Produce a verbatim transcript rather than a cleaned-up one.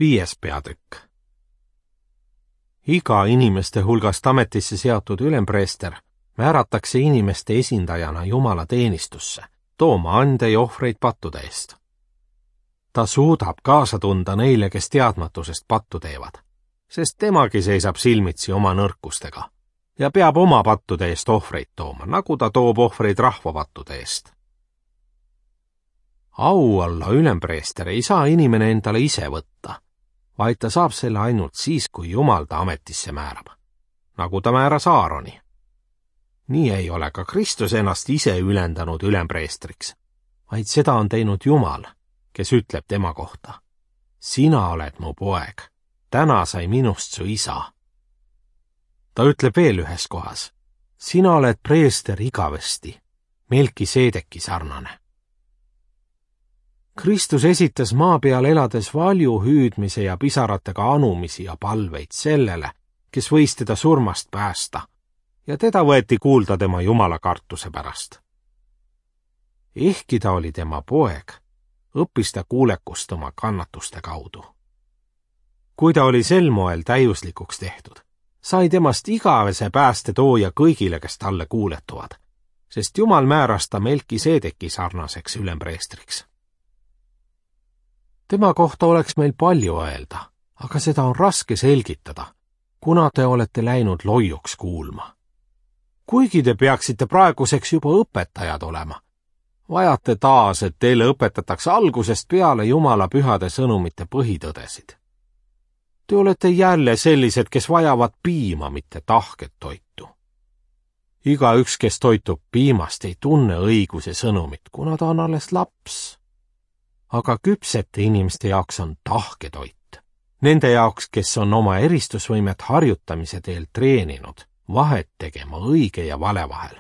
Viies peatükk. Iga inimeste hulgast ametisse seatud ülempreester määratakse inimeste esindajana Jumala teenistusse, tooma ande ja ohvreid pattude eest. Ta suudab kaasa tunda neile, kes teadmatusest pattu teevad, sest temagi seisab silmitsi oma nõrkustega ja peab oma pattude eest ohvreid tooma, nagu ta toob ohvreid rahva pattude eest. Au olla ülempreester ei saa inimene endale ise võtta, vaid ta saab selle ainult siis, kui Jumal ta ametisse määrab, nagu ta määras Aaroni. Nii ei ole ka Kristus ennast ise ülendanud ülempreestriks, vaid seda on teinud Jumal, kes ütleb tema kohta: sina oled mu poeg, täna sai minust su isa. Ta ütleb veel ühes kohas: sina oled preester igavesti, Melkiseedeki sarnane. Kristus esitas maa peal elades valju hüüdmise ja pisaratega anumisi ja palveid sellele, kes võis teda surmast päästa, ja teda võeti kuulda tema Jumala kartuse pärast. Ehkki ta oli tema poeg, õppis ta kuulekust oma kannatuste kaudu. Kui ta oli sel moel täiuslikuks tehtud, sai temast igavese pääste tooja kõigile, kes talle kuuletuvad, sest Jumal määras ta Melkiseedeki sarnaseks ülempreestriks. Tema kohta oleks meil palju öelda, aga seda on raske selgitada, kuna te olete läinud loiuks kuulma. Kuigi te peaksite praeguseks juba õpetajad olema, vajate taas, et teile õpetatakse algusest peale Jumala pühade sõnumite põhitõdesid. Te olete jälle sellised, kes vajavad piima, mitte tahket toitu. Igaüks, kes toitub piimast, ei tunne õiguse sõnumit, kuna ta on alles laps. Aga küpsete inimeste jaoks on tahketoit. Nende jaoks, kes on oma eristusvõimet harjutamise teel treeninud, vahet tegema õige ja vale vahel.